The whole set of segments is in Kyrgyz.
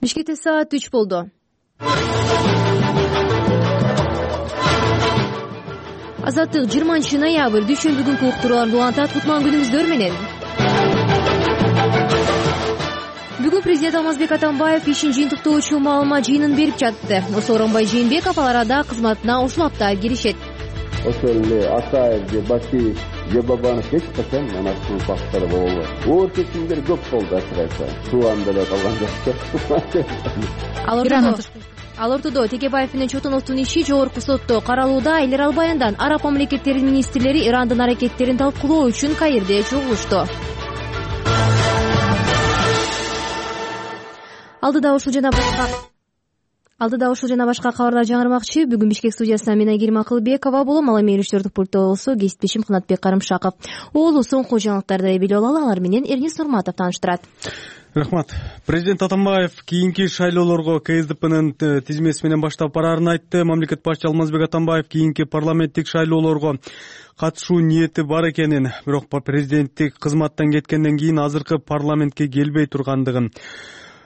Бишкекте саат 3 болду. Азаттык 20-ноябрь дүйшөмбү күнкү уктурууларды улантат. Кутман күнүңүздөр менен. Бүгүн президент Алмазбек Атамбаев ишин жыйынтыктоочу маалымат жыйынын берип жатты. Сооронбай Жээнбеков ал арада кызматына ушул апта киришет. Ошол эле Атаев же Башиев же Бабанов эч качан анакыл факттар болбойт. Оор чечимдер көп болду, ачык Туан деле калган жок. Ал ортодо Текебаев менен Чотоновдун иши жогорку сотто каралууда. Эл Арал Баяндан Араб мамлекеттеринин министрлери Ирандын аракеттерин талкуулоо үчүн Каирде чогулушту. Алдыда ушул жана башка кабарлар жаңырмакчы. Бүгүн Бишкек студиясынан мен Айгерим Акылбекова болом. Ал эми илиштирдик пультта болсо кесиптешим Кынатбек Карымшаков. Оолу соңку жаңылыктарды билип алалы. Алар менен Эрнис Нурматов тааныштырат. Рахмат. Президент Атамбаев кийинки шайлоолорго КСДПнын тизмеси менен баштап бараарын айтты. Мамлекет башчы Алмазбек Атамбаев кийинки парламенттик шайлоолорго катышуу ниети бар экенин, бирок президенттик кызматтан кеткенден кийин азыркы парламентке келбей тургандыгын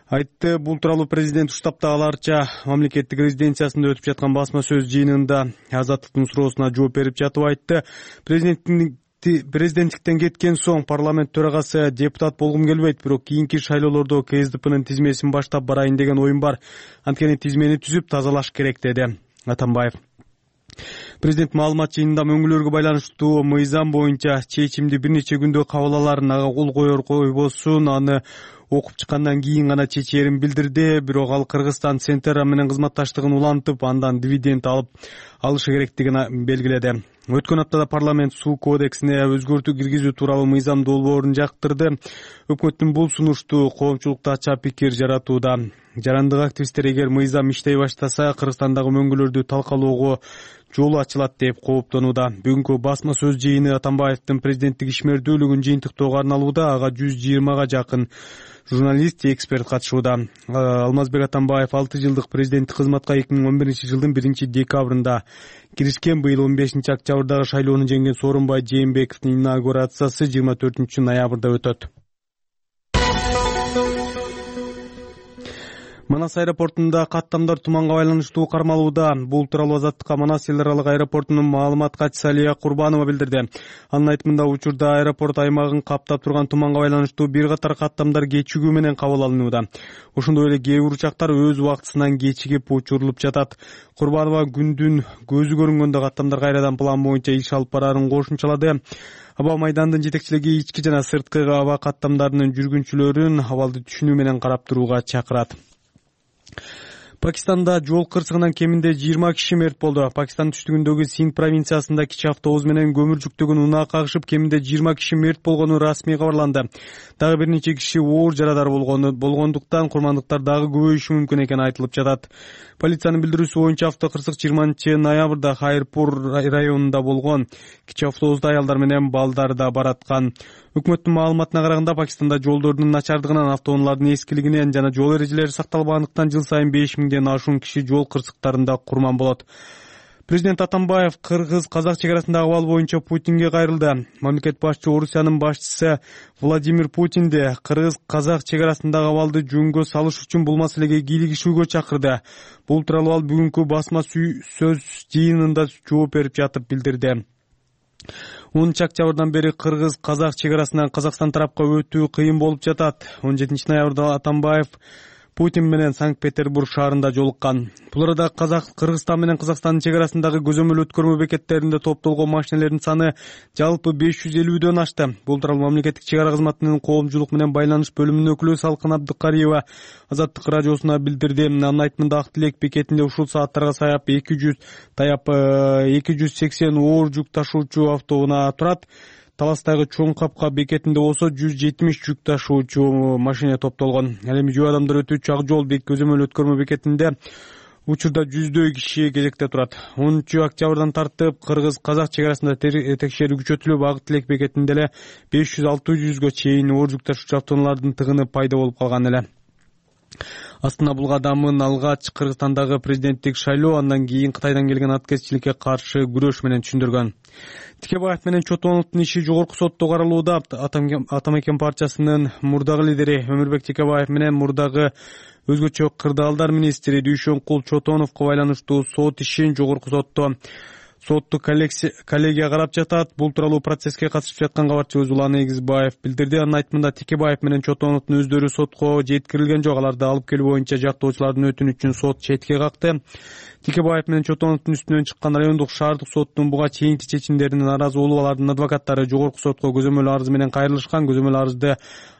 айтты. Бул тууралуу президент Уштаптагыларча мамлекеттик резиденциясында өтүп жаткан басма сөз жыйынында Азаттыктын суроосуна жооп берип жатып айтты. Президенттиктен кеткен соң парламент төрагасы депутат болгум келбейт, бирок кийинки шайлоолордо КСДПнын тизмесин баштап барайын деген оюм бар. Анткени тизмени түзүп тазалаш керек, деди Атамбаев. Президент маалымат жыйынында мөңгүлөргө байланыштуу мыйзам боюнча чечимди бир нече күндө кабыл аларын, ага кол коер койбосун, аны окуп чыккандан кийин гана чечээрин билдирди. Бирок ал Кыргызстан Центра менен кызматташтыгын улантып, андан дивиденд алышы керектигин белгиледи. Өткөн аптада парламент суу кодексине өзгөртүү киргизүү тууралуу мыйзам долбоорун жактырды. Өкмөттүн бул сунушту коомчулукта ача пикир жаратууда. Жарандык активисттер эгер мыйзам иштей баштаса, Кыргызстандагы мөңгүлөрдү талкалоого жолу ачылат деп кооптонууда. Бүгүнкү басма сөз жыйыны Атамбаевдин президенттик ишмердүүлүгүн жыйынтыктоого арналууда. Ага 120га жакын журналист, эксперт катышууда. Алмазбек Атамбаев 6 жылдык президенттик кызматка 2011-жылдын 1-декабрында киришкен. Быйыл 15-октябрдагы шайлоону жеңген Сооронбай Жээнбековдун инаугурациясы 24-ноябрда өтөт. Манас аэропортунда каттамдар туманга байланыштуу кармалууда. Бул тууралуу Азаттыкка Манас эл аралык аэропортунун маалымат катчысы Алия Курбанова билдирди. Анын айтымында учурда аэропорт аймагын каптап турган туманга байланыштуу бир катар каттамдар кечигүү менен кабыл алынууда. Ошондой эле кээ бир учактар өз убактысынан кечигип учурулуп жатат. Курбанова күндүн көзү көрүнгөндө каттамдар кайрадан план боюнча иш алып бараарын кошумчалады. Аба майдандын жетекчилиги ички жана сырткы аба каттамдарынын жүргүнчүлөрүн абалды түшүнүү менен карап турууга чакырат. Пакистанда жол кырсыгынан кеминде 20 киши мерт болду. Пакистан түштүгүндөгү Синд провинциясында кичи автобус менен көмүр жүктөгөн унаа кагышып, кеминде 20 киши мерт болгону расмий кабарланды. Дагы бир нече киши оор жарадар болгондуктан курмандыктар дагы көбөйүшү мүмкүн экени айтылып жатат. Полициянын билдирүүсү боюнча автокырсык 20-ноябрда Хайрпур районунда болгон. Кичи автобуста аялдар менен балдар да бараткан. Өкмөттүн маалыматына караганда, Пакистанда жолдордун начардыгынан, автоунаалардын эскилигинен жана жол эрежелери сакталбагандыктан жыл сайын 5000ден ашуун киши жол кырсыктарында курман болот. Президент Атамбаев кыргыз-казак чегарасындагы абал боюнча Путинге кайрылды. Мамлекет башчысы Орусиянын башчысы Владимир Путинди кыргыз-казак чегарасындагы абалды жөнгө салыш үчүн бул маселеге кийлигишүүгө чакырды. Бул тууралуу ал бүгүнкү басма сөз жыйынында жооп берип жатып билдирди. 10-октябрдан бери кыргыз-казак чегарасынан Казакстан тарапка өтүү кыйын болуп жатат. 17-ноябрда Атамбаев Путин менен Санкт-Петербург шаарында жолуккан. Бул арада Кыргызстан менен Казакстандын чегарасындагы көзөмөл өткөрмө бекеттеринде топтолгон машинелердин саны жалпы 550дөн ашты. Бул тууралуу мамлекеттик чегара кызматынын коомчулук менен байланыш бөлүмүнүн өкүлү Салкын Абдыкариева Азаттык радиосуна билдирди. Анын айтымында Ак Тилек бекетинде ушул сааттарга саяп 280 оор жүк ташуучу автоунаа турат. Таластагы Чоң Капка бекетинде болсо 170 жүк ташуучу машина топтолгон. Ал эми жөө адамдар өтүүчү Ак жол көзөмөл өткөрмө бекетинде учурда 100дөй киши кезекте турат. 10-октябрдан тартып кыргыз-казак чегарасында текшерүү күчөтүлүп, Ак Тилек бекетинде эле 500-600га чейин оор жүк ташуучу автоунаалардын тыгыны пайда болуп калган эле. Астана бул кадамын алгач Кыргызстандагы президенттик шайлоо, андан кийин Кытайдан келген аткезчиликке каршы күрөш менен түшүндүргөн. Тикебаев менен Чотоновдун иши жогорку сотто каралууда. Атамекен партиясынын мурдагы лидери Өмүрбек Тикебаев менен мурдагы өзгөчө кырдаалдар министри Дүйшөнкул Чотоновго байланыштуу сот ишин жогорку соттук коллегия карап жатат. Бул тууралуу процесске катышып жаткан кабарчы Өзулан Эгизбаев билдирди. Анын айтымында Тикебаев менен Чотоновдун өздөрү сотко жеткирилген жок. Аларды алып келүү боюнча жактоочулардын өтүнүчүн сот четке какты. Тикебаев менен Чотоновдун үстүнөн чыккан райондук шаардык соттун буга чейинки чечимдерине нааразы болуп, алардын адвокаттары жогорку сотко көзөмөл арыз менен кайрылышкан. Көзөмөл арызды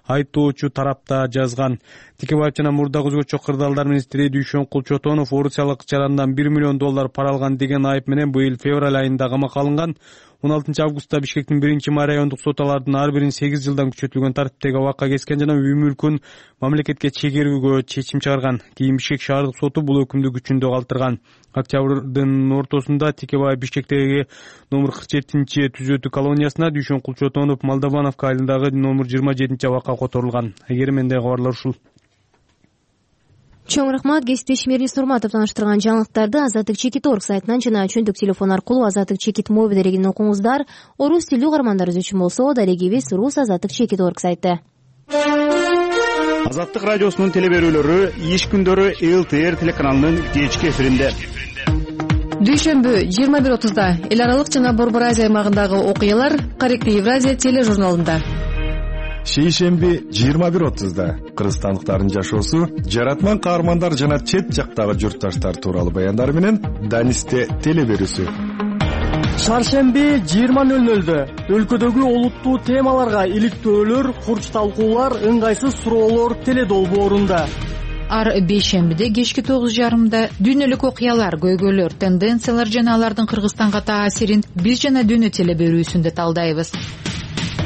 айыптоочу тарапта жазган. Тикебаев жана мурдагы өзгөчө кырдаалдар министри Дүйшөнкул Чотонов орусиялык чарандан $1 миллион пара алган деген айып менен быйыл февраль айында камакка алынган. 16 августта Бишкектин 1-май райондук сот алардын ар бирин 8 жылдан күчөтүлгөн тартиптеги абакка кескен жана үй мүлкүн мамлекетке чегерүүгө чечим чыгарган. Кийин Бишкек шаардык соту бул өкүмдү күчүндө калтырган. Октябрдын ортосунда Тикебаев Бишкектеги номер 47 түзөтүү колониясына, Дүйшөнкул Чотонов Молдовановка айылындагы номер 27 абакка которулган. Эгер мендеги кабарлар ушул. Чоң рахмат. Кесиптешим Эрнис Нурматов тааныштырган жаңылыктарды Азаттык Чекит орг сайтынан жана чөндүк телефон аркылуу Азаттык Чекит мобил дарегинен окуңуздар. Орус тилдүү угармандарыбыз үчүн болсо дарегибиз Рус Азаттык Чекит орг сайты. Азаттык радиосунун телеберүүлөрү иш күндөрү ЛТР телеканалынын кечки эфиринде. Дүйшөмбү 21:30 эл аралык жана Борбор Азия аймагындагы окуялар Каректи Евразия тележурналында. Шейшемби 21:30 кыргызстандыктардын жашоосу, жаратман каармандар жана чет жактагы журтташтар тууралуу баяндар менен Данисте телеберүүсү. Шаршемби 20:00 өлкөдөгү олуттуу темаларга иликтөөлөр, курч талкуулар, ыңгайсыз суроолор теледолбоорунда. Ар бейшембиде кечки 9:30 дүйнөлүк окуялар, көйгөйлөр, тенденциялар жана алардын Кыргызстанга таасирин биз жана дүйнө телеберүүсүндө талдайбыз.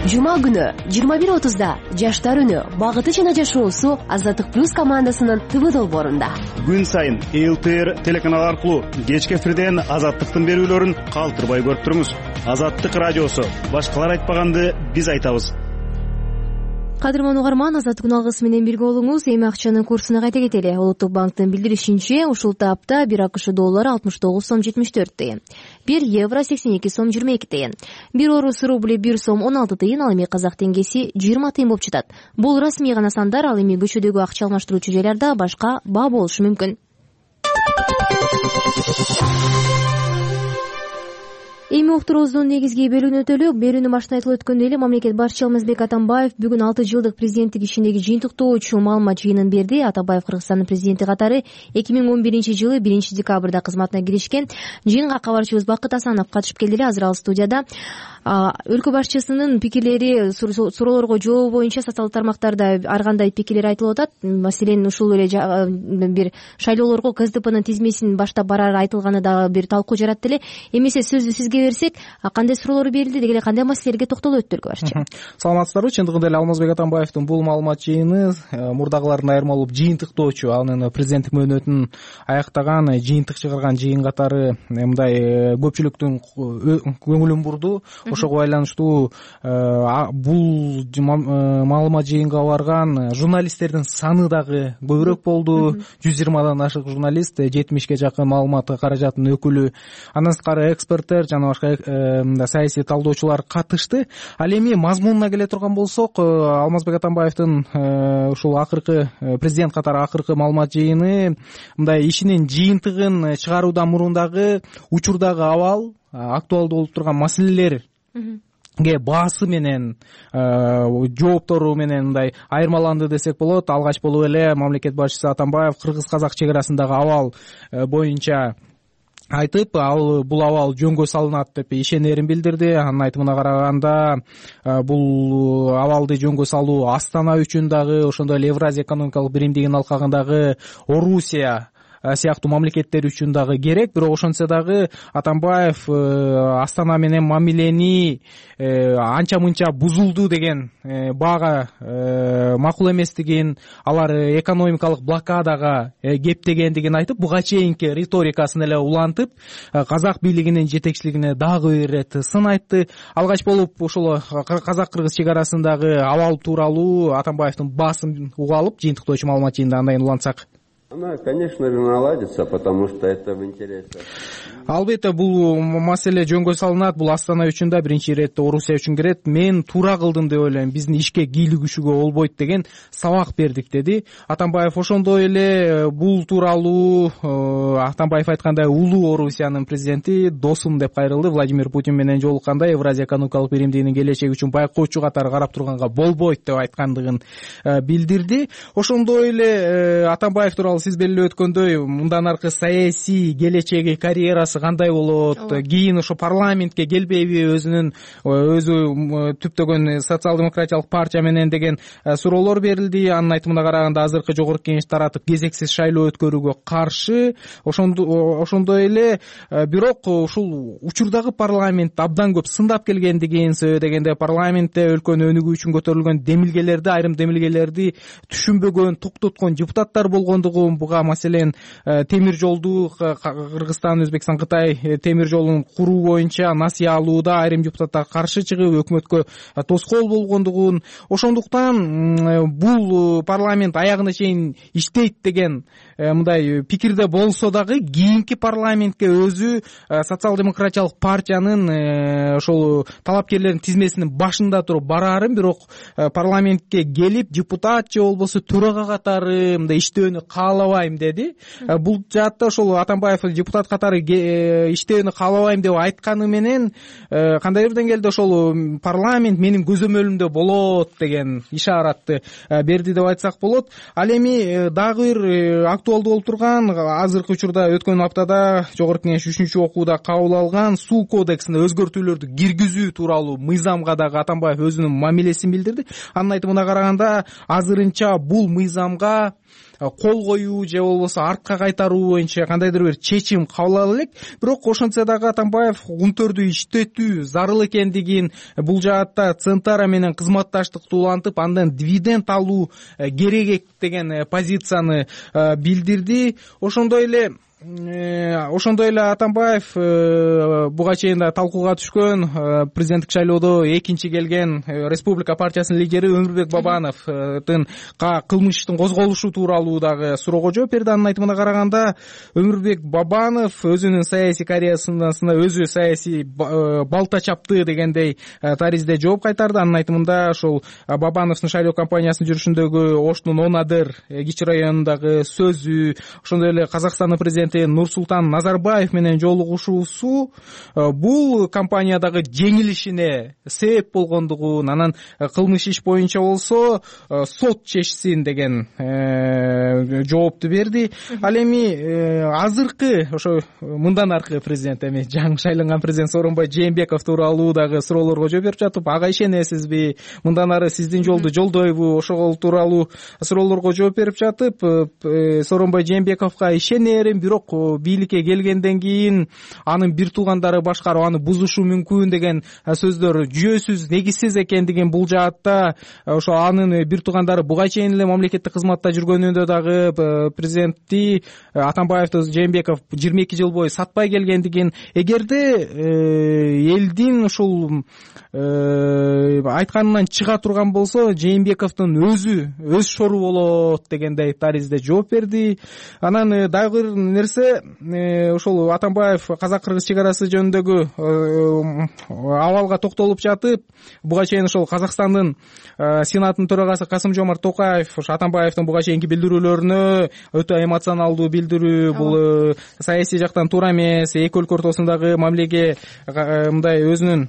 Жума күнү 21:30 жаштар үнү, багыты жана жашоосу Азаттык плюс командасынын ТВ долбоорунда. Күн сайын ЛТР телеканалы аркылуу кечки эфирден Азаттыктын берүүлөрүн калтырбай көрүп туруңуз. Азаттык радиосу, башкалар айтпаганды биз айтабыз. Кадырман угарман, Азаттык күн алгысы менен бирге болуңуз. Эми акчанын курсуна кайта кетели. Улуттук банктын билдиришинче, ушул тапта 1 АКШ доллары 69 сом 74 тыйын, 1 евро 82 сом 22 тыйын, 1 орус рубли 1 сом 16 тыйын, ал эми казак теңгеси 20 тыйын болуп жатат. Бул расмий гана сандар, ал эми көчөдөгү акча алмаштыруучу жайларда башка баа болушу мүмкүн. Эми уктуруубуздун негизги бөлүгүнө өтөлүк. Берүүнүн башында айтылып өткөндөй эле, мамлекет башчысы Алмазбек Атамбаев бүгүн 6 жылдык президенттик ишиндеги жыйынтыктоочу маалымат жыйынын берди. Атамбаев Кыргызстандын президенти катары 2011-жылы 1 декабрда кызматына киришкен. Жыйынга кабарчыбыз Бакыт Асанов катышып келди эле. Азыр ал студияда. Өлкө башчысынын пикирлери, суроолорго жооп боюнча социалдык тармактарда ар кандай пикирлер айтылып атат. Маселен, ушул эле бир шайлоолорго КСДПнын тизмесин баштап барары айтылганы дагы бир талкуу жаратты эле. Эмесе сөздү сизге берсек, кандай суроолор берилди, деги эле кандай маселелерге токтолуп өттү өлкө башчы? Саламатсыздарбы? Чындыгында эле Алмазбек Атамбаевдин бул маалымат жыйыны мурдагылардан айырмалуу болуп жыйынтыктоочу, анын президенттик мөөнөтүн аяктаган, жыйынтык чыгарган жыйын катары мындай көпчүлүктүн көңүлүн бурду. Ошого байланыштуу бул маалымат жыйынга барган журналисттердин саны дагы көбүрөөк болду. 120дан ашык журналист, 70ке жакын маалымат каражатынын өкүлү, андан сырткары эксперттер жана башка саясий талдоочулар катышты. Ал эми мазмунуна келе турган болсок, Алмазбек Атамбаевдин ушул акыркы президент катары акыркы маалымат жыйыны мындай ишинин жыйынтыгын чыгаруудан мурун дагы учурдагы абал, актуалдуу болуп турган маселелер баасы менен жооптору менен мындай айырмаланды десек болот. Алгач болуп эле мамлекет башчысы Атамбаев кыргыз-казак чек арасындагы абал боюнча айтып, бул абал жөнгө салынат деп ишенерин билдирди. Анын айтымына караганда, бул абалды жөнгө салуу Астана үчүн дагы, ошондой эле Евразия экономикалык биримдигинин алкагындагы Орусия сыяктуу мамлекеттер үчүн дагы керек. Бирок ошентсе дагы Атамбаев Астана менен мамилени анча мынча бузулду деген баага макул эместигин, алар экономикалык блокадага кептегендигин айтып, буга чейинки риторикасын эле улантып, казак бийлигинин жетекчилигине дагы бир ирет сын айтты. Алгач болуп ошол казак-кыргыз чек арасындагы абал тууралуу Атамбаевдин баасын уга алып, жыйынтыктоочу маалымат жыйында андайын улантсак. Она, конечно же, наладится, потому что это в интересах. Албетте бул маселе жөнгө салынат. Бул Астана үчүн да, биринчи иретте Орусия үчүн кирет. Мен туура кылдым деп ойлойм. Биздин ишке кийлигишүүгө болбойт деген сабак бердик деди Атамбаев. Ошондой эле бул тууралуу Атамбаев айткандай улуу Орусиянын президенти досум деп кайрылды. Владимир Путин менен жолукканда Евразия экономикалык биримдигинин келечеги үчүн байкоочу катары карап турганга болбойт деп айткандыгын билдирди. Ошондой эле Атамбаев тууралуу сиз белгилеп өткөндөй мындан аркы саясий келечеги, карьерасы кандай болот, кийин ошо парламентке келбейби, өзү түптөгөн социал-демократиялык партия менен деген суроолор берилди. Анын айтымына караганда азыркы жогорку кеңеш таратып кезексиз шайлоо өткөрүүгө каршы. Ошондой эле бирок ушул учурдагы парламент абдан көп сындап келгендигин сөйдөгөндө, парламентте өлкөнү өнүгүү үчүн көтөрүлгөн демилгелерди, айрым демилгелерди түшүнбөгөн, токтоткон депутаттар болгондугун, буга маселен темир жолду Кыргызстан, Өзбекстан, Кытай темир жолун куруу боюнча насыя алууда айрым депутаттар каршы чыгып өкмөткө тоскоол болгондугун, ошондуктан бул парламент аягына чейин иштейт деген мындай пикирде болсо дагы кийинки парламентке өзү социал-демократиялык партиянын ошол талапкерлердин тизмесинин башында туруп бараарын, бирок парламентке келип депутат же болбосо төрага катары мындай иштөөнү каалабайм деди. Бул жаатта ошол Атамбаев депутат катары иштөөнү каалабайм деп айтканы менен кандайдыр деңгээлде ошол парламент менин көзөмөлүмдө болот деген ишаратты берди деп айтсак болот. Ал эми дагы бир актуалдуу болуп турган, азыркы учурда өткөн аптада жогорку кеңеш 3-чү окууда кабыл алган суу кодексине өзгөртүүлөрдү киргизүү тууралуу мыйзамга дагы Атамбаев өзүнүн мамилесин билдирди. Анын айтымына караганда азырынча бул мыйзамга кол коюу же болбосо артка кайтаруу боюнча кандайдыр бир чечим кабыл ала элек. Бирок ошентсе дагы Атамбаев унтөрдү иштетүү зарыл экендигин, бул жаатта Центара менен кызматташтыкты улантып, андан дивиденд алуу керек деген позицияны билдирди. Ошондой эле Атамбаев буга чейин да талкууга түшкөн президенттик шайлоодо экинчи келген Республика партиясынын лидери Өмүрбек Бабановдун кылмыштын козголушу тууралуу дагы суроого жооп берди. Анын айтымына караганда Өмүрбек Бабанов өзүнүн саясий карьерасына өзү саясий балта чапты дегендей таризде жооп кайтарды. Анын айтымында ошол Бабановдун шайлоо кампаниясынын жүрүшүндөгү Оштун Онадыр кичи районундагы сөзү, ошондой эле Казакстандын президенти Нурсултан Назарбаев менен жолугушуусу бул кампаниядагы жеңилишине себеп болгондугун, анан кылмыш иш боюнча болсо сот чечсин деген жоопту берди. Ал эми азыркы ошо мындан аркы президент, эми жаңы шайланган президент Сооронбай Жээнбеков тууралуу дагы суроолорго жооп берип жатып, ага ишенесизби, мындан ары сиздин жолду жолдойбу, ошол тууралуу суроолорго жооп берип жатып, Сооронбай Жээнбековго ишенерим, бирок бийликке келгенден кийин анын бир туугандары башкарып аны бузушу мүмкүн деген сөздөр жүйөсүз, негизсиз экендигин, бул жаатта ошо анын бир туугандары буга чейин эле мамлекеттик кызматта жүргөнүндө дагы президентти Атамбаевди Жээнбеков 22 жыл бою сатпай келгендигин, эгерде элдин ушул айтканынан чыга турган болсо Жээнбековдун өз шору болот дегендей таризде жооп берди. Анан дагы бир нерсе, ошол Атамбаев казак-кыргыз чек арасы жөнүндөгү абалга токтолуп жатып, буга чейин ошол Казакстандын Сенатынын төрагасы Касым-Жомарт Токаев ошо Атамбаевдин буга чейинки билдирүүлөрүнө өтө эмоционалдуу билдирүү, бул саясий жактан туура эмес, эки өлкө ортосундагы мамилеге мындай өзүнүн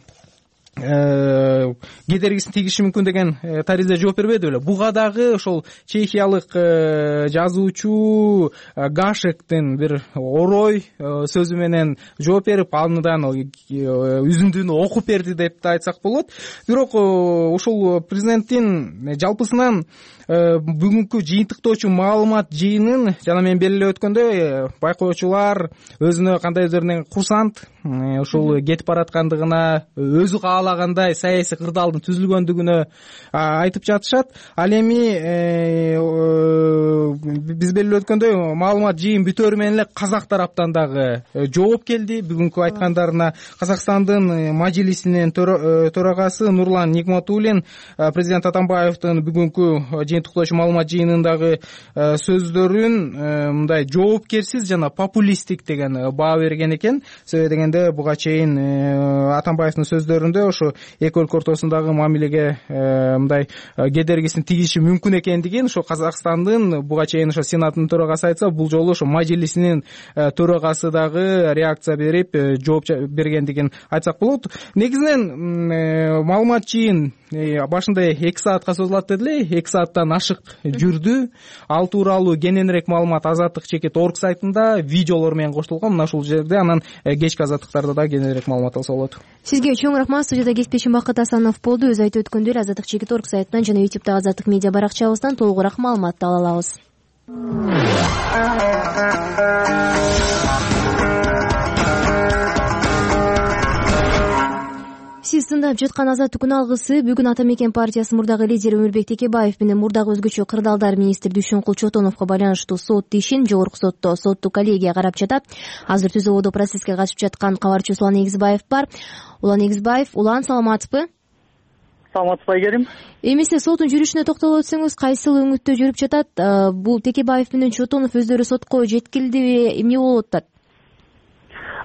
кедергисин тийгизиши мүмкүн деген таризде жооп бербеди беле. Буга дагы ошол чехиялык жазуучу Гашектин бир орой сөзү менен жооп берип, андан үзүндүнү окуп берди деп да айтсак болот. Бирок ошол президенттин жалпысынан бүгүнкү жыйынтыктоочу маалымат жыйынын жана мен белгилеп өткөндөй байкоочулар өзүнө кандайдыр курсант ошол кетип бараткандыгына, өзү каалагандай саясий кырдаалдын түзүлгөндүгүнө айтып жатышат. Ал эми биз белгилеп өткөндөй маалымат жыйын бүтөөрү менен эле казак тараптан дагы жооп келди бүгүнкү айткандарына. Казакстандын мажилисинин төрагасы Нурлан Нигматуллин президент Атамбаевдин бүгүнкү жыйынтыктоочу маалымат жыйынындагы сөздөрүн мындай жоопкерсиз жана популисттик деген баа берген экен. Себеби дегенде буга чейин Атамбаевдин сөздөрүндө ошо эки өлкө ортосундагы мамилеге мындай кедергисин тийиши мүмкүн экендигин, ошо Казакстандын буга чейин ошо Сенаттын төрагасы айтса, бул жолу ошо мажилисинин төрагасы дагы реакция берип жооп бергендигин айтсак болот. Негизинен маалымат жыйын башында 2 саатка созулат дедиле, 2 сааттан ашык жүрдү. Ал тууралуу кененирээк маалымат Азаттык чекит орг сайтында видеолор менен коштолгон. Мына ушул жерде анан кечки азаттыктарда да кененирээк маалымат алса болот. Сизге чоң рахмат. Студияда кесиптешим Бакыт Асанов болду. Өз айтып өткөндөй эле Азаттык чекит орг сайтынан жана YouTube'дагы Азаттык медиа баракчабыздан толугураак маалыматты ала алабыз. Сиз тыңдап жаткан Азаттыктын алгысы бүгүн Ата Мекен партиясынын мурдагы лидери Өмүрбек Текебаев менен мурдагы өзгөчө кырдаалдар министри Дүйшөнкул Чотоновго байланыштуу сот ишин жогорку сотто соттук коллегия карап жатат. Азыр түз абалда процесске катышып жаткан кабарчыбыз Улан Эгизбаев бар. Улан Эгизбаев, Улан, саламатсызбы? Саламатсызбы, Айгерим. Эмесе соттун жүрүшүнө токтолуп өтсөңүз, кайсыл өңүттө жүрүп жатат? Бул Текебаев менен Чотонов өздөрү сотко жеткилдиби, эмне болуп атат?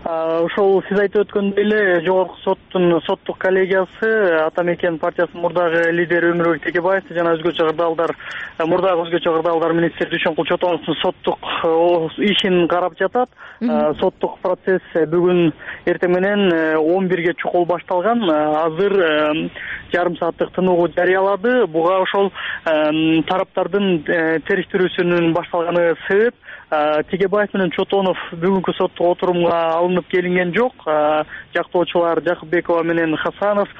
Ошол сиз айтып өткөндөй эле жогорку соттун соттук коллегиясы Ата Мекен партиясынын мурдагы лидери Өмүрбек Текебаевди жана мурдагы өзгөчө кырдаалдар министри Дүйшөнкул Чотоновдун соттук ишин карап жатат. Соттук процесс бүгүн эртең менен 11ге чукул башталган. Азыр жарым сааттык тыныгуу жарыялады. Буга ошол тараптардын териштирүүсүнүн башталганы себеп. Текебаев менен Чотонов бүгүнкү соттук отурумга алынып келинген жок. Жактоочулар Жакупбекова менен Хасанов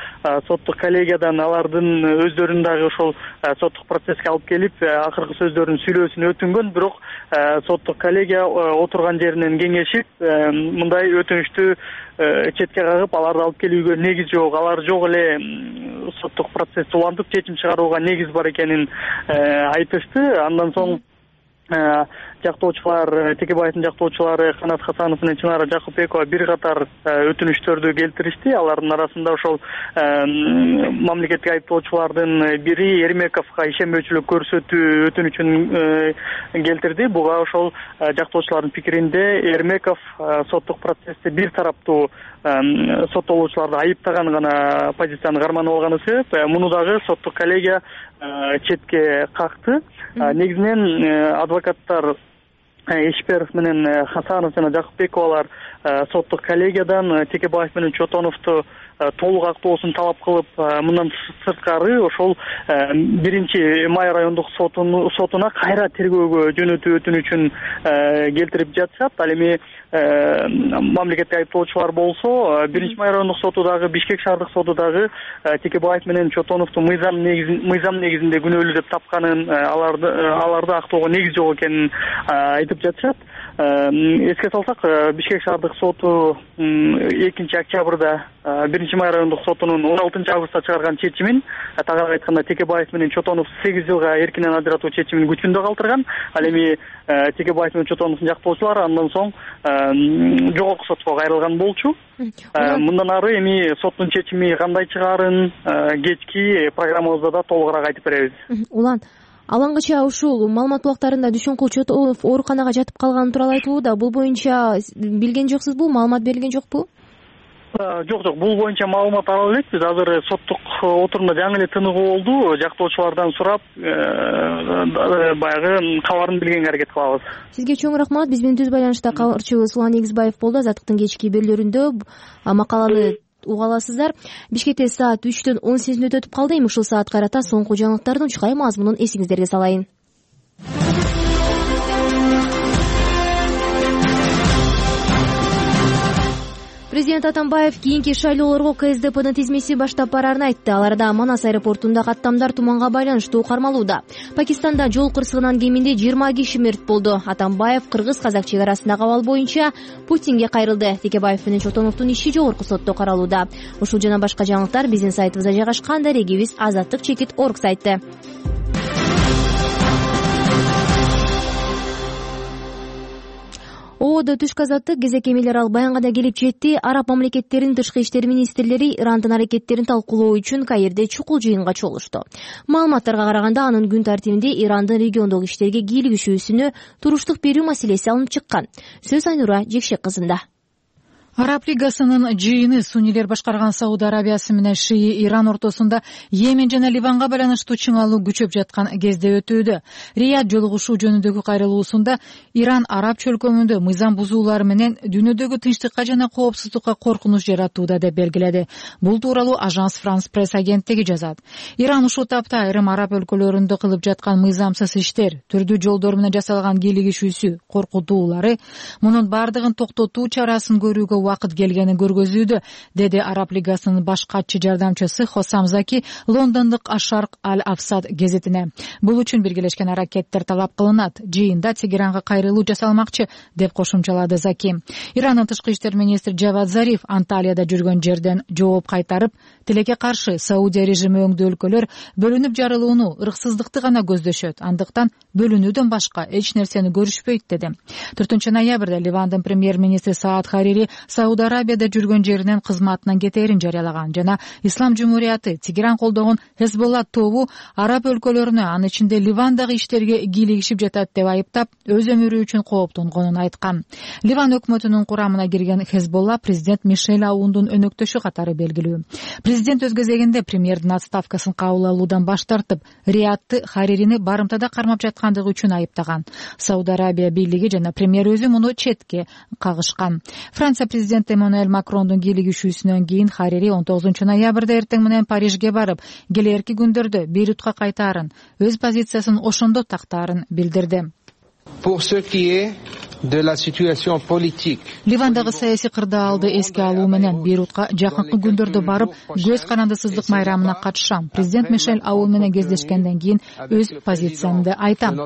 соттук коллегиядан алардын өздөрүн дагы ошол соттук процесске алып келип, акыркы сөздөрүн сүйлөөсүн өтүнгөн. Бирок соттук коллегия отурган жеринен кеңешип, мындай өтүнүштү четке кагып, аларды алып келүүгө негиз жок, алар жок эле соттук процессти улантып чечим чыгарууга негиз бар экенин айтышты. Андан соң жактоочулар, Текебаевдин жактоочулары Канат Хасанов менен Чынара Жакупбекова бир катар өтүнүштөрдү келтиришти. Алардын арасында ошол мамлекеттик айыптоочулардын бири Эрмековго ишенбөөчүлүк көрсөтүү өтүнүчүн келтирди. Буга ошол жактоочулардын пикиринде Эрмеков соттук процессте бир тараптуу соттолуучуларды айыптаган гана позицияны карманып алганы себеп. Муну дагы соттук коллегия четке какты. Негизинен адвокаттар Ишперов менен Хасанов жана Жакупбековалар соттук коллегиядан Текебаев менен Чотоновду толук актоосун талап кылып, мындан сырткары ошол 1-Май райондук сотуна кайра тергөөгө жөнөтүү өтүнүчүн келтирип жатышат. Ал эми мамлекеттик айыптоочулар болсо 1-Май райондук соту дагы, Бишкек шаардык соту дагы Текебаев менен Чотоновду мыйзам негизинде күнөөлүү деп тапканын, аларды актоого негиз жок экенин айтып жатышат. Эске салсак, Бишкек шаардык соту 2-октябрда 1-Май райондук сотунун 16-августта чыгарган чечимин, тагыраак айтканда Текебаев менен Чотонов 8 жылга эркинен ажыратуу чечимин күчүндө калтырган. Ал эми Текебаев менен Чотоновдун жактоочулары андан соң жогорку сотко кайрылган болчу. Мындан ары эми соттун чечими кандай чыгаарын кечки программабызда да толугураак айтып беребиз. Улан, алаңгыча ушул маалымат булактарында Дүйшөнкул Чотонов ооруканага жатып калганы тууралуу айтылууда. Бул боюнча билген жоксузбу? Маалымат берилген жокпу? Жок, бул боюнча маалымат ала элекпиз. Азыр соттук отурумда жаңы эле тыныгуу болду. Жактоочулардан сурап, баягы кабарын билгенге аракет кылабыз. Сизге чоң рахмат. Биз менен түз байланышта кабарчыбыз Улан Эгизбаев болду. Азаттыктын кечки берүүлөрүндө макаланы уга аласыздар. Бишкекте саат 3-төн 18 мүнөт өтүп калды. Эми ушул саат карата соңку жаңылыктардын чукай мазмунун эсиңиздерге салайын. Президент Атамбаев кийинки шайлоолорго КСДПнын тизмеси баштап барарын айтты. Аларда Манас аэропортунда каттамдар туманга байланыштуу кармалууда. Пакистанда жол кырсыгынан кеминде 20 киши мерт болду. Атамбаев кыргыз-казак чек арасындагы абал боюнча Путинге кайрылды. Текебаев менен Чотоновдун иши жогорку сотто каралууда. Ушул жана башка жаңылыктар биздин сайтыбызда жайгашкан. Дарегибиз Азаттык чекит орг сайты. Ордо түшкү азаттык кезек эмелер ал баянга да келип жетти. Араб мамлекеттеринин тышкы иштер министрлери Ирандын аракеттерин талкуулоо үчүн Каирде чукул жыйынга чогулушту. Маалыматтарга караганда анын күн тартибинде Ирандын региондогу иштерге кийлигишүүсүнө туруштук берүү маселеси алынып чыккан. Сөз Айнура Жекшек кызында. Араб лигасынын жыйыны суннилер башкарган Сауд Арабиясы менен Шии Иран ортосунда Йемен жана Ливанга байланыштуу чыңалуу күчөп жаткан кезде өтүүдө. Рияд жолугушуу жөнүндөгү кайрылуусунда Иран араб чөлкөмүндө мыйзам бузуулар менен дүйнөдөгү тынчтыкка жана коопсуздукка коркунуч жаратууда деп белгиледи. Бул тууралуу Ажанс Франс пресс агенттиги жазат. Иран ушул тапта айрым араб өлкөлөрүндө кылып жаткан мыйзамсыз иштер, түрдүү жолдор менен жасалган кийлигишүүсү, коркутуулары мунун бардыгын токтотуу чарасын көрүүгө убакыт келгенин көргөзүүдө, деди Араб лигасынын баш катчы жардамчысы Хосам Заки лондондук Ашарк Аль-Афсад гезитине. Бул үчүн биргелешкен аракеттер талап кылынат. Жыйында Тегеранга кайрылуу жасалмакчы, деп кошумчалады Заки. Ирандын тышкы иштер министри Джавад Зариф Анталияда жүргөн жерден жооп кайтарып, тилекке каршы Саудия режими өңдүү өлкөлөр бөлүнүп жарылууну, ырксыздыкты гана көздөшөт. Андыктан бөлүнүүдөн башка эч нерсени көрүшпөйт, деди. 4-ноябрда Ливандын премьер-министри Саад Харири Сауд Арабияда жүргөн жеринен кызматынан кетээрин жарыялаган жана Ислам Жумурияты Тегеран колдогон Хезболла тобу араб өлкөлөрүнө, анын ичинде Ливандагы иштерге кийлигишип жатат деп айыптап, өз өмүрү үчүн кооптонгонун айткан. Ливан өкмөтүнүн курамына кирген Хезболла президент Мишель Аундун өнөктөшү катары белгилүү. Президент өз кезегинде премьердин отставкасын кабыл алуудан баш тартып, Риядты Харирини барымтада кармап жаткандыгы үчүн айыптаган. Сауд Арабия бийлиги жана премьер өзү муну четке кагышкан. Франция президенти Эммануэль Макрондун кийлигишүүсүнөн кийин Харири 19-ноябрда эртең менен Парижге барып, келерки күндөрдө Бейрутка кайтаарын, өз позициясын ошондо тактаарын билдирди. Ливандагы саясий кырдаалды эске алуу менен Бейрутка жакынкы күндөрдө барып, көз карандысыздык майрамына катышам. Президент Мишель Аун менен кездешкенден кийин өз позициямды айтам.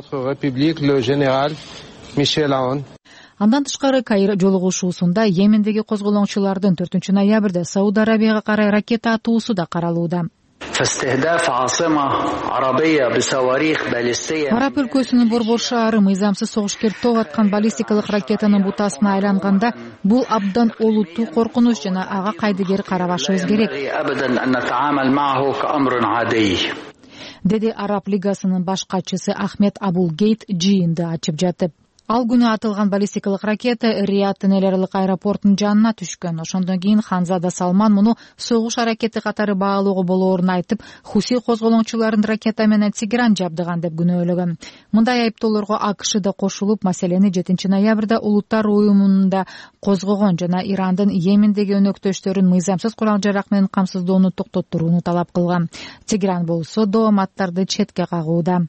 Андан тышкары Каир жолугушуусунда Йемендеги козголоңчулардын 4-ноябрда Сауд Арабияга карай ракета атуусу да каралууда. Араб өлкөсүнүн Борбор шаары мыйзамсыз согушкер топ аткан баллистикалык ракетанын бутасына айланганда, бул абдан олуттуу коркунуч жана ага кайдыгер карабашыбыз керек, деди Араб лигасынын баш катчысы Ахмед Абул Гейт жыйынды ачып жатып. Ал күнү атылган баллистикалык ракета Риядтын эл аралык аэропортунун жанына түшкөн. Ошондон кийин Ханзада Салман муну согуш аракети катары баалоого болоорун айтып, Хуси козголоңчуларын ракета менен Тегеран жабдыган деп күнөөлөгөн. Мындай айыптоолорго АКШ да кошулуп, маселени 7-ноябрда Улуттар уюмунда козгогон жана Ирандын Йемендеги өнөктөштөрүн мыйзамсыз курал-жарак менен камсыздоону токтоттурууну талап кылган. Тегеран болсо дооматтарды четке кагууда.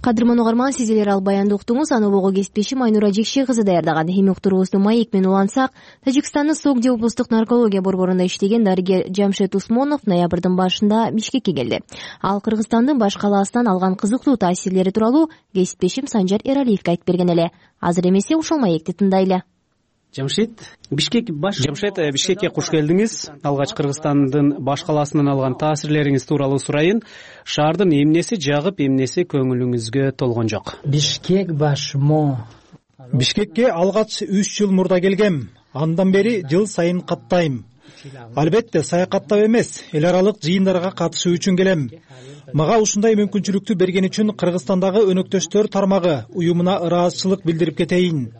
Кадырман угарман, сиздер ал баянды уктуңуз. Аны улугу кесиптешим Айнура Жекшек кызы даярдаган. Эми уктуруубузду маек менен улантсак, Тажикстандын Согди облустук наркология борборунда иштеген дарыгер Жамшед Усмонов ноябрдын башында Бишкекке келди. Ал Кыргызстандын баш калаасынан алган кызыктуу таасирлери тууралуу кесиптешим Санжар Эралиевге айтып берген эле. Азыр эмесе ушул маекти тындайлы. Жамшед, Бишкекке куш келдиңиз. Алгач Кыргызстандын баш калаасынан алган таасирлериңиз тууралуу сурайын. Шаардын эмнеси жагып, эмнеси көңүлүңүзгө толгон жок? Бишкекке алгач 3 жыл мурда келгем. Андан бери жыл сайын каттайм. Албетте саякаттап эмес, эл аралык жыйындарга катышуу үчүн келем. Мага ушундай мүмкүнчүлүктү берген үчүн Кыргызстандагы өнөктөштөр тармагы уюмуна ыраазычылык билдирип кетейин.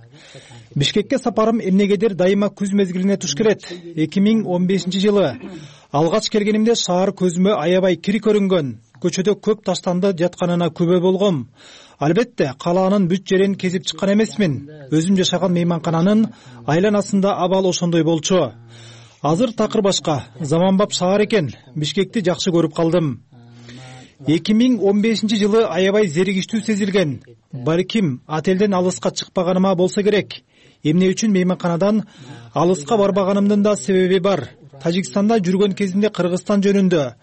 Бишкекке сапарым эмнегедир дайыма күз мезгилине туш келет. 2015-жылы алгач келгенимде шаар көзүмө аябай кир көрүнгөн. Көчөдө көп таштанды жатканына күбө болгом. Албетте калаанын бүт жерин кезип чыккан эмесмин. Өзүм жашаган мейманкананын айланасында абал ошондой болчу. Азыр такыр башка, заманбап шаар экен. Бишкекти жакшы көрүп калдым. 2015-жылы аябай зеригиштүү сезилген. Балким отелден алыска чыкпаганыма болсо керек. Эмне үчүн мейманканадан алыска барбаганымдын да себеби бар. Тажикстанда жүргөн кезинде Кыргызстан жөнүндө,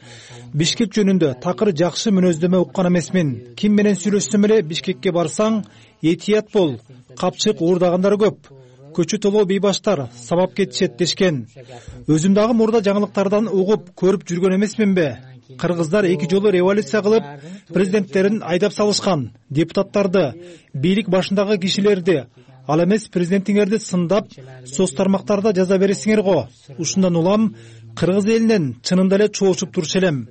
Бишкек жөнүндө такыр жакшы мүнөздөмө уккан эмесмин. Ким менен сүйлөшсөм эле Бишкекке барсаң, этият бол, капчык уурдагандар көп. Көчү толо бейбаштар сабап кетишет дешкен. Өзүм дагы мурда жаңылыктардан угуп, көрүп жүргөн эмесминби? Кыргыздар 2 жолу революция кылып, президенттерин айдап салышкан. Депутаттарды, бийлик башындагы кишилерди, ал эмес президентиңерди сындап, соц тармактарда жаза бересиңер го. Ушундан улам кыргыз элинен чынында эле чоочуп турчу элем.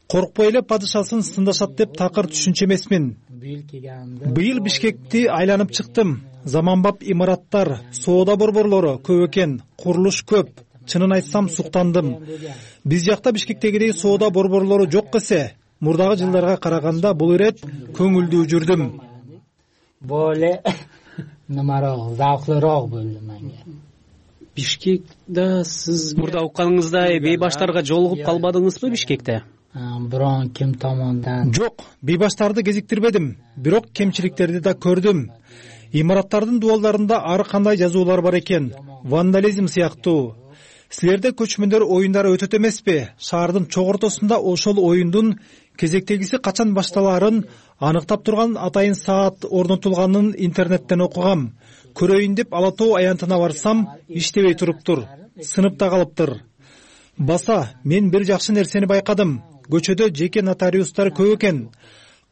Коркпой эле падышасын сындашат деп такыр түшүнчү эмесмин. Быйыл Бишкекти айланып чыктым. Заманбап имараттар, соода борборлору көп экен, курулуш көп. Чынын айтсам суктандым. Биз жакта Бишкектегидей соода борборлору жок эсе, мурдагы жылдарга караганда бул ирет көңүлдүү жүрдүм. Боле намароо, завклыроо болду менге. Бишкекте сиз мурда укканыңыздай бейбаштарга жолугуп калбадыңызбы Бишкекте? Бирок ким томондан? Жок, бейбаштарды кезиктирбедим, бирок кемчиликтерди да көрдүм. Имараттардын дубалдарында ар кандай жазуулар бар экен, вандализм сыяктуу. Силерде көчмөндөр оюндары өтөт эмеспи? Шаардын чок ортосунда ошол оюндун кезектегиси качан башталаарын аныктап турган атайын саат орнотулганын интернеттен окугам. Көрөйүн деп Ала Тоо аянтына барсам, иштебей туруптур. Сыныпта калыптыр. Баса, мен бир жакшы нерсени байкадым. Көчөдө жеке нотариустар көп экен.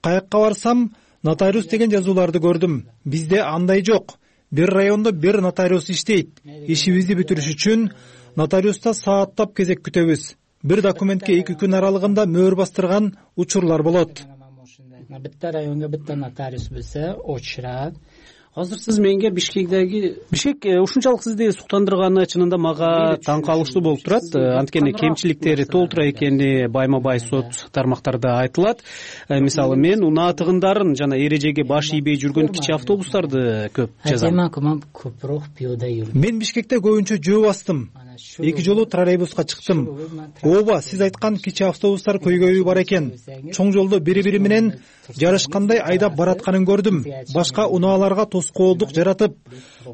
Каякка барсам, нотариус деген жазууларды көрдүм. Бизде андай жок. Бир райондо бир нотариус иштейт. Ишибизди бүтүрүш үчүн нотариуста сааттап кезек күтөбүз. Бир документке 2 күн аралыгында мөөр бастырган учурлар болот. Битте районго битте нотариус болсо очурат. Азыр сиз менге Бишкек ушунчалык сизди суктандырганы чынында мага таң калыштуу болуп турат. Анткени кемчиликтери толтура экени байма бай соц тармактарда айтылат. Мисалы мен унаа тыгындарын жана эрежеге баш ийбей жүргөн кичи автобустарды көп жазам. Мен Бишкекте көбүнчө жөө бастым. 2 жолу троллейбуска чыктым. Ооба, сиз айткан кичи автобустар көйгөйү бар экен. Чоң жолдо бири-бири менен жарышкандай айдап баратканын көрдүм. Башка унааларга тоскоолдук жаратып,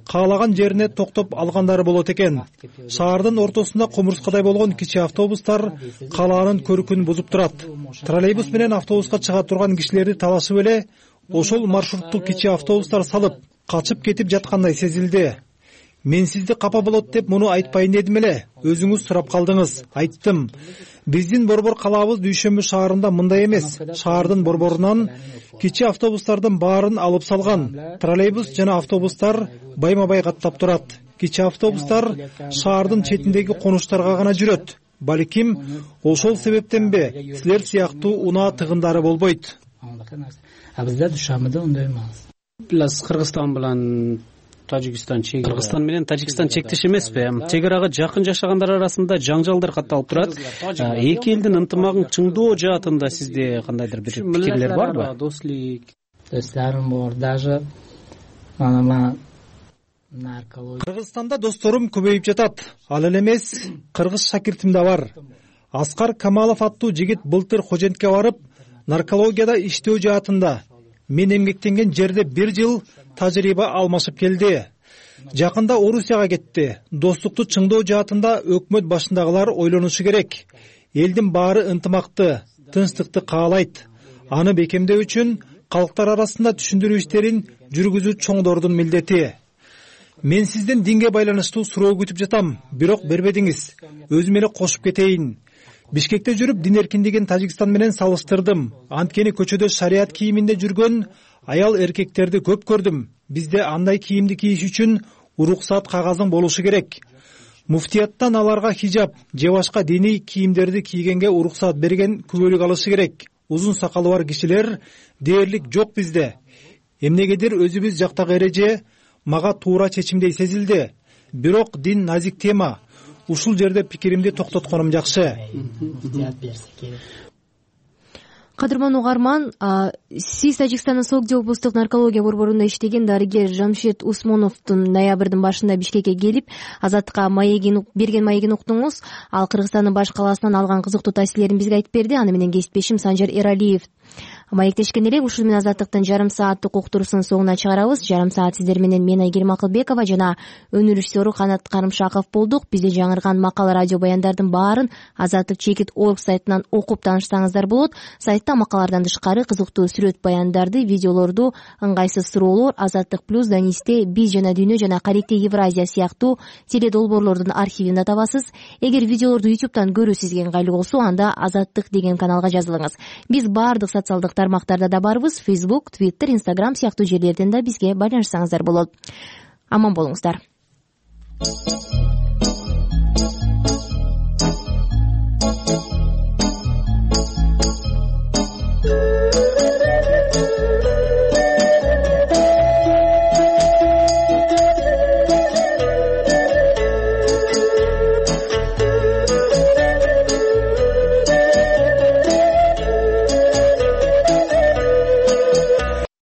каалаган жерине токтоп алгандары болот экен. Шаардын ортосунда кумурскадай болгон кичи автобустар калаанын көркүн бузуп турат. Троллейбус менен автобуска чыга турган кишилерди талашып эле ошол маршрутту кичи автобустар салып, качып кетип жаткандай сезилди. Мен сизди капа болот деп муну айтпайын дедим эле. Өзүңүз сурап калдыңыз. Айттым. Биздин борбор калаабыз Дүйшөмбү шаарында мындай эмес. Шаардын борборунан кичи автобустардын баарын алып салган. Троллейбус жана автобустар байма-бай каттап турат. Кичи автобустар шаардын четиндеги конуштарга гана жүрөт. Балким ошол себептенби силер сыяктуу унаа тыгындары болбойт. Бизде Дүйшөмбүдө ондай эмес. Кыргызстан менен Кыргызстан менен Тажикстан чектеш эмеспи? Чек арага жакын жашагандар арасында жаңжалдар катталып турат. Эки элдин ынтымагын чыңдоо жаатында сизде кандайдыр бир пикирлер барбы? Досторум бар, даже Кыргызстанда досторум көбөйүп жатат. Ал эле эмес, кыргыз шакиртим да бар. Аскар Камалов аттуу жигит былтыр Хожентке барып, наркологияда иштөө жаатында мен эмгектенген жерде 1 жыл тажрыйба алмашып келди. Жакында Орусияга кетти. Достукту чыңдоо жаатында өкмөт башындагылар ойлонушу керек. Элдин баары ынтымакты, тынчтыкты каалайт. Аны бекемдөө үчүн калктар арасында түшүндүрүү иштерин жүргүзүү чоңдордун милдети. Мен сизден динге байланыштуу суроо күтүп жатам, бирок бербедиңиз. Өзүм эле кошуп кетейин. Бишкекте жүрүп дин эркиндигин Тажикстан менен салыштырдым. Анткени көчөдө шарият кийиминде жүргөн аял эркектерди көп көрдүм. Бизде андай кийимди кийиш үчүн уруксат кагазың болушу керек. Муфтияттан аларга хижаб же башка диний кийимдерди кийгенге уруксат берген күбөлүк алышы керек. Узун сакалы бар кишилер дээрлик жок бизде. Эмнегедир өзүбүз жактагы эреже мага туура чечимдей сезилди. Бирок дин назик тема. Ушул жерде пикиримди токтотконум жакшы. Кадырман угарман, сиз Тажикстандын Согди облустук наркология борборунда иштеген дарыгер Жамшед Усмоновдун ноябрдын башында Бишкекке келип, Азаттыкка берген маегин уктуңуз. Ал Кыргызстандын баш калаасынан алган кызыктуу таасирлерин бизге айтып берди. Аны менен кесиптешим Санжар Эралиев маектешкен элек. Ушул менен Азаттыктын жарым сааттык уктуруусунун соңуна чыгарабыз. Жарым саат сиздер менен мен Айгерим Акылбекова жана өнөр режиссеру Канат Карымшаков болдук. Бизде жаңырган макала радио баяндардын баарын Азаттык.org сайтынан окуп таанышсаңыздар болот. Сайтта сайтта макалалардан тышкары кызыктуу сүрөт баяндарды, видеолорду, ыңгайсыз суроолор, Азаттык плюс, Данисте, Биз жана Дүйнө жана Карибти Евразия сыяктуу теледолбоорлордун архивинде табасыз. Эгер видеолорду YouTube'дан көрүү сизге ыңгайлуу болсо, анда Азаттык деген каналга жазылыңыз. Биз баардык социалдык тармактарда да барбыз. Facebook, Twitter, Instagram сыяктуу жерлерден да бизге байланышсаңыздар болот. Аман болуңуздар.